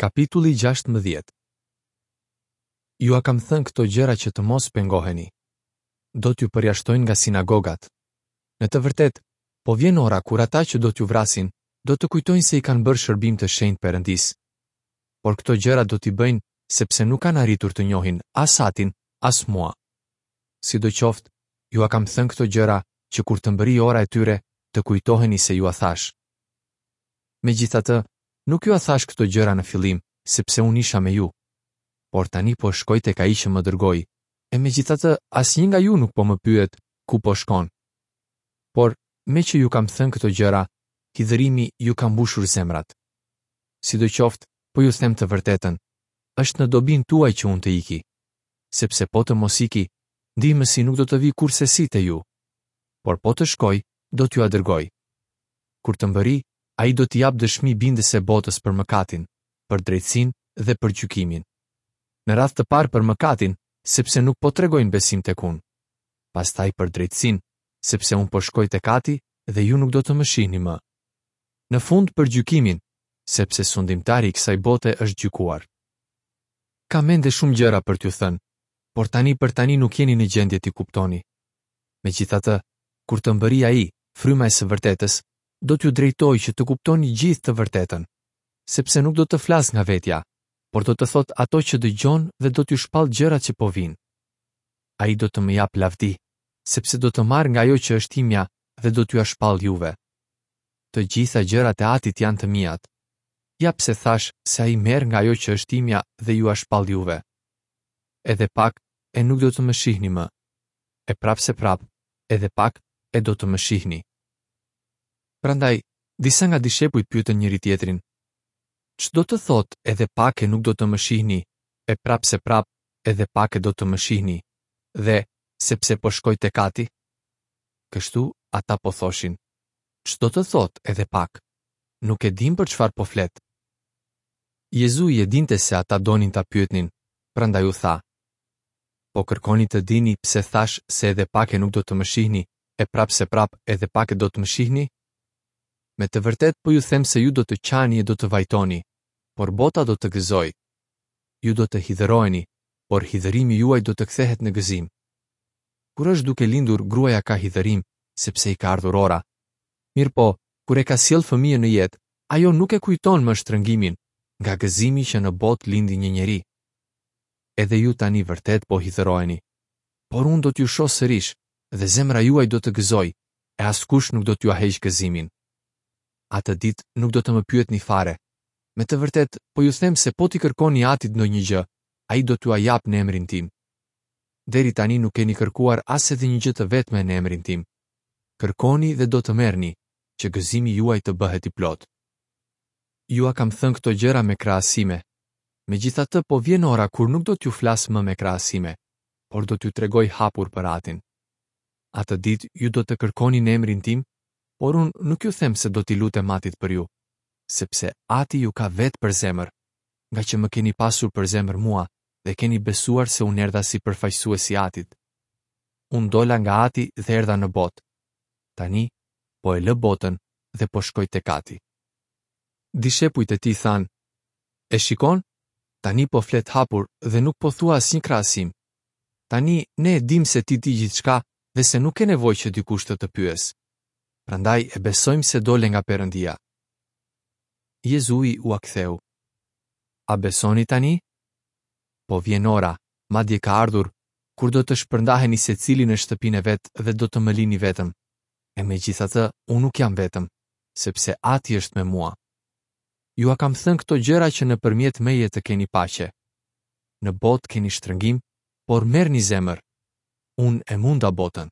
Kapitulli 16 Jua kam thënë këto gjëra që të mos pengoheni. Do t'ju përjashtojnë nga sinagogat. Në të vërtetë, po vjen ora kur ata që do t'ju vrasin, do të kujtojnë se i kanë bërë shërbim të shenjtë Perëndisë. Por këto gjëra do t'i bëjnë sepse nuk kanë arritur të njohin as Atin, as mua. Sidoqoftë, jua kam thënë këto gjëra që kur të mbërrijë ora e tyre, të kujtoheni se jua thashë. Megjithatë, nuk jua thashë këto gjëra në fillim, sepse unë isha me ju. Por tani po shkoj tek ai që më dërgoi, e megjithatë asnjë nga ju nuk po më pyet ku po shkon. Por, meqë ju kam thënë këto gjëra, hidhërimi ju ka mbushur zemrat. Sidoqoftë, po ju them të vërtetën, është në dobinë tuaj që unë të iki. Sepse po të mos iki, ndihmësi nuk do të vijë kurrsesi te ju. Por po të shkoj, do t'jua dërgoj. Kur të mbërrijë, ai do t'i japë dëshmi bindëse botës për mëkatin, për drejtësinë dhe për gjykimin. Në radhë të parë për mëkatin, sepse nuk po tregojnë besim tek unë. Pastaj për drejtësinë, sepse unë po shkoj tek Ati dhe ju nuk do të më shihni më. Në fund për gjykimin, sepse sundimtari i kësaj bote është gjykuar. Kam ende shumë gjëra për t'ju thënë, por tani për tani nuk jeni në gjendje t'i kuptoni. Megjithatë, kur të mbërrijë ai, fryma e së vërtetës, do t'ju drejtojë që të kuptoni gjithë të vërtetën, sepse nuk do të flasë nga vetja, por do të thotë ato që dëgjon dhe do t'ju shpallë gjërat që po vijnë. Ai do të më japë lavdi, sepse do të marrë nga ajo që është imja dhe do t'jua shpallë juve. Të gjitha gjërat e Atit janë të miat. Ja pse thashë se ai merr nga ajo që është imja dhe jua shpall juve. Edhe pak e nuk do të më shihni më. E prapëseprapë, edhe pak e do të më shihni. Prandaj, disa nga dishepujt pyetën njëri-tjetrin, Ç'do të thotë edhe pak e nuk do të më shihni, e prapëseprapë, edhe pak e do të më shihni, dhe sepse po shkoj tek Ati? Kështu ata po thoshin, Ç'do të thotë edhe pak? Nuk e dimë për çfarë po flet. Jezui e dinte se ata donin ta pyetnin, prandaj u tha, Po kërkoni të dini pse thashë se edhe pak e nuk do të më shihni, e prapëseprapë edhe pak e do të më shihni? Me të vërtetë po ju them se ju do të qani e do të vajtoni, por bota do të gëzojë. Ju do të hidhëroheni, por hidhërimi juaj do të kthehet në gëzim. Kur është duke lindur, gruaja ka hidhërim, sepse i ka ardhur ora. Mirëpo, kur e ka sjellë fëmijën në jetë, ajo nuk e kujton më shtrëngimin, nga gëzimi që në botë lindi një njeri. Edhe ju tani vërtet po hidhëroheni. Por unë do t'ju shoh sërish, dhe zemra juaj do të gëzojë, e askush nuk do t'jua heqë gëzimin. Atë ditë nuk do të më pyetni fare. Me të vërtetë, po ju them se po t'i kërkoni Atit ndonjë gjë, ai do t'jua japë në emrin tim. Deri tani nuk keni kërkuar as edhe një gjë të vetme në emrin tim. Kërkoni dhe do të merrni, që gëzimi juaj të bëhet i plotë. Jua kam thënë këto gjëra me krahasime. Megjithatë, po vjen ora kur nuk do t'ju flas më me krahasime, por do t'ju tregoj hapur për Atin. Atë ditë ju do të kërkoni në emrin tim, por unë nuk ju them se do t'i lutem Atit për ju, sepse Ati ju ka vetë për zemër, ngaqë më keni pasur për zemër mua dhe keni besuar se unë erdha si përfaqësues i Atit. Unë dola nga Ati dhe erdha në botë. Tani po e lë botën dhe po shkoj tek Ati. Dishepujt e tij thanë, E shikon? Tani po flet hapur dhe nuk po thua asnjë krahasim. Tani ne e dimë se ti di gjithçka dhe se nuk ke nevojë që dikush të të pyesë. Prandaj e besojmë se dole nga Perëndia. Jezui ua ktheu. A besoni tani? Po vjen ora, madje ka ardhur, kur do të shpërndaheni secili në shtëpinë e vet dhe do të më lini vetëm. E megjithatë, unë nuk jam vetëm, sepse Ati është me mua. Jua kam thënë këto gjëra që nëpërmjet meje të keni paqe. Në botë keni shtrëngim, por merrni zemër. Unë e munda botën.